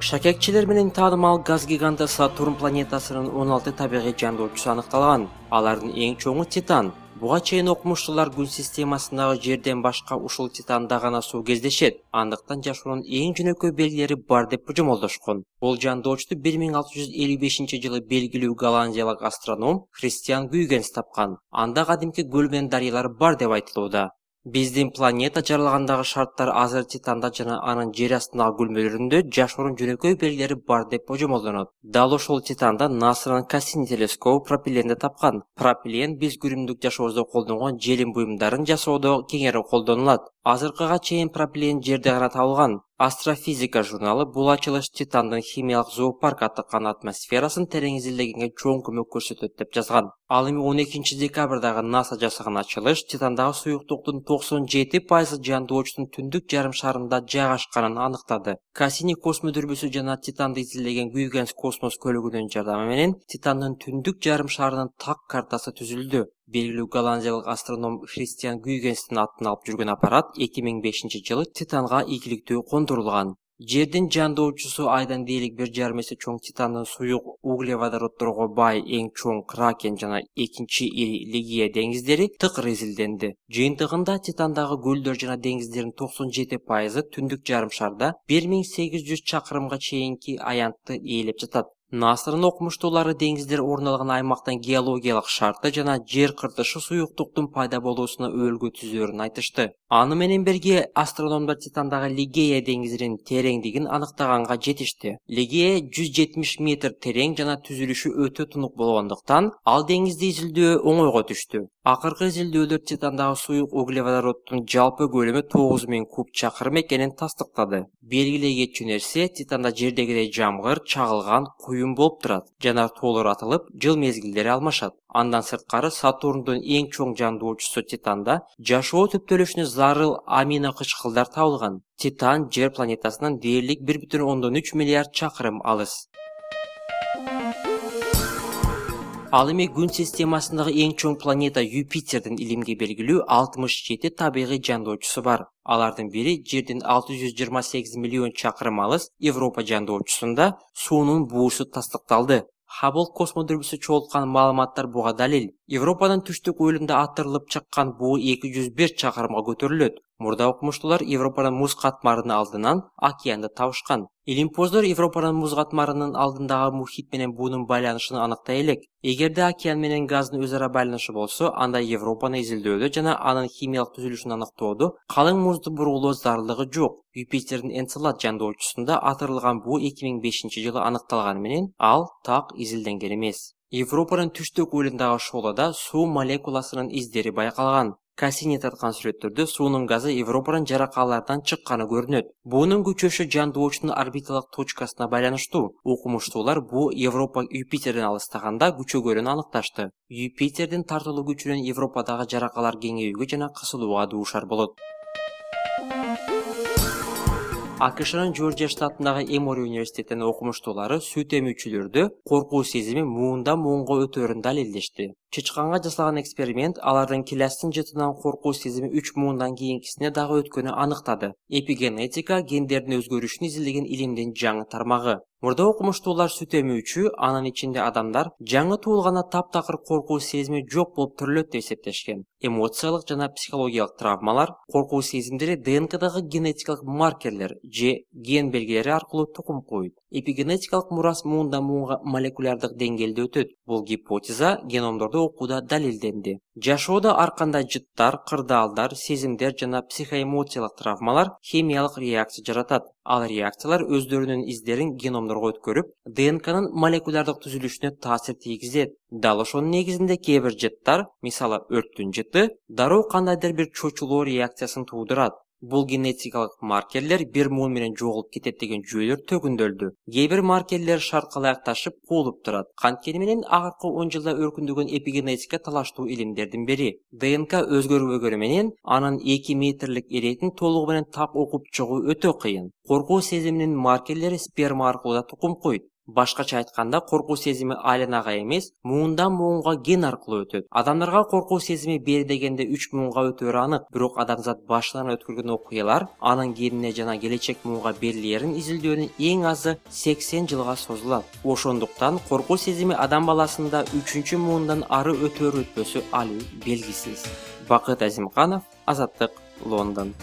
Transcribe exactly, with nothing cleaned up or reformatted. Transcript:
Шакекчилер менен таанымал газ гиганты Сатурн планетасынын он алты табигый жандоочусу аныкталган. Алардын эң чоңу Титан. Буга чейин окумуштуулар күн системасындагы жерден башка ушул Титанда гана суу кездешет. Андыктан жашоонун эң жөнөкөй белгилери бар деп божомолдошкон. Бул жандоочту бир миң алты жүз элүү бешинчи жылы белгилүү голландиялык астроном Христиан Гюйгенс тапкан. Анда кадимки көл менен дарыялар бар деп айтылууда. Биздин планета жаралгандагы шарттар азыр Титанда жана анын жер астындагы күлмөлөрүндө жашоонун жөнөкөй белгилери бар деп божомолдонот. Дал ошол Титанда НАСАнын Кассини телескобу пропиленди тапкан. Пропилен биз күнүмдүк жашообузда колдонгон желим буюмдарын жасоодо кеңири колдонулат. Азыркыга чейин пропилен жерде гана табылган. Астрофизика журналы бул ачылыш Титандын химиялык зоопарк атыккан атмосферасын терең изилдегенге чоң көмөк көрсөтөт деп жазган. Ал эми он экинчи декабрдагы НАСА жасаган ачылыш Титандагы суюктуктун токсон жети пайызы жандоочтун түндүк жарым шарында жайгашканын аныктады. Кассини космодүрбүсү жана Титанды изилдеген Гюйгенс космос көлүгүнүн жардамы менен Титандын түндүк жарым шарынын так картасы түзүлдү. Белгилүү голландиялык астроном Христиан Гюйгенстин атын алып жүргөн аппарат эки миң бешинчи жылы Титанга ийгиликтүү кондурулган. Жердин жандоочусу айдан дээрлик бир жарым эсе чоң Титандын суюк углеводороддорго бай эң чоң Кракен жана экинчи ири Лигия деңиздери тыкыр изилденди. Жыйынтыгында Титандагы көлдөр жана деңиздердин токсон жети пайызы түндүк жарым шарда бир миң сегиз жүз чакырымга чейинки аянтты ээлеп жатат. НАСАнын окумуштуулары деңиздер орун алган аймактын геологиялык шарты жана жер кыртышы суюктуктун пайда болуусуна өөлгө түзөөрүн айтышты. Аны менен бирге астрономдор Титандагы Лигея деңизинин тереңдигин аныктаганга жетишти. Лигея жүз жетимиш метр терең жана түзүлүшү өтө тунук болгондуктан ал деңизди изилдөө оңойго түштү. Акыркы изилдөөлөр Титандагы суюк углеводороддун жалпы көлөмү тогуз миң куб чакырым экенин тастыктады. Белгилегечү нерсе Титанда жердегидей жамгыр, чагылган, куюм болуп турат. Жанартоолор атылып, жыл мезгилдери алмашат. Андан сырткары Сатурндун эң чоң жандоочусу Титанда жашоо түптөлүшүнө зарыл амино кычкылдар табылган. Титан Жер планетасынан дээрлик бир бүтүн ондон үч миллиард чакырым алыс. Ал эми күн системасындагы эң чоң планета Юпитердин илимге белгилүү алтымыш жети табигый жандоочусу бар. Алардын бири жердин алты жүз жыйырма сегиз миллион чакырым алыс Европа жандоочусунда суунун буусу тастыкталды. Хаббл космодүрбүсү чогулткан маалыматтар буга далил. Европанын түштүк уюлунда атырылып чыккан буу эки жүз бир чакырымга көтөрүлөт. Мурда окумуштуулар Европанын муз катмарынын алдынан океанды табышкан. Илимпоздор Европанын муз катмарынын алдындагы мухит менен буунун байланышын аныктай элек. Эгерде океан менен газдын өз ара байланышы болсо, анда Европаны изилдөөдө жана анын химиялык түзүлүшүн аныктоодо калың музду бурулоо зарылдыгы жок. Юпитердин Энцелад жандоочусунда атырылган буу эки миң бешинчи жылы аныкталганы менен ал так изилденген эмес. Европанын түштүк уюлундагы шоолада суу молекуласынын издери байкалган. Кассини тарткан сүрөттөрдө суунун газы Европанын жаракаларынан чыкканы көрүнөт. Буунун күчөшү жандоочунун орбиталык точкасына байланыштуу. Окумуштуулар буу Европа Юпитерден алыстаганда күчөгөнүн аныкташты. Юпитердин тартылуу күчүнөн Европадагы жаракалар кеңейүүгө жана кысылууга дуушар болот. АКШнын Жоржия штатындагы Эмори университетинин окумуштуулары сүт эмүүчүлөрдө коркуу сезими муундан муунга өтөөрүн далилдешти. Чычканга жасалган эксперимент алардын киластын жытынан коркуу сезими үч муундан кийинкисине дагы өткөнү аныктады. Эпигенетика гендердин өзгөрүшүн изилдеген илимдин жаңы тармагы. Мурда окумуштуулар сүт эмүүчү, анын ичинде адамдар жаңы туулганда таптакыр коркуу сезими жок болуп төрөлөт деп эсептешкен. Эмоциялык жана психологиялык травмалар, коркуу сезимдери ДНКдагы генетикалык маркерлер же ген белгилери аркылуу тукум коет. Эпигенетикалык мурас муундан муунга молекулярдык деңгээлде өтөт. Бул гипотеза геномдорду окууда далилденди. Жашоодо ар кандай жыттар, кырдаалдар, сезимдер жана психоэмоциялык травмалар химиялык реакция жаратат. Ал реакциялар өздөрүнүн издерин геномдорго өткөрүп, ДНКнын молекулярдык түзүлүшүнө таасир тийгизет. Дал ошонун негизинде кээ бир жыттар, мисалы өрттүн жыты, дароо кандайдыр бир чочулоо реакциясын туудурат. Бул генетикалык маркерлер бир муун менен жоголуп кетет деген жүйөлөр төгүндөлдү. Кээ бир маркерлер шарткалаакташып куулуп турат. Канткени менен акыркы он жылда өркүндөгөн эпигенетика талаштуу илимдердин бири. ДНК өзгөрбөгөнү менен анын эки метрлик иретін толугу менен так окуп чыгуу өтө кыйын. Коркуу сезиминин маркерлери сперма аркылуу да тукум койт. Башкача айтканда, коркуу сезими айланага эмес, муундан муунга ген аркылуу өтөт. Адамдарга коркуу сезими бери дегенде үч муунга өтөрү анык, бирок адамзат башынан өткөргөн окуялар анын генине жана келечек муунга берилерин изилдөөнүн эң азы сексен жылга созулат. Ошондуктан коркуу сезими адам баласында үчүнчү муундан ары өтөрү өтпөсү али белгисиз. Бакыт Азимканов, Азаттык, Лондон.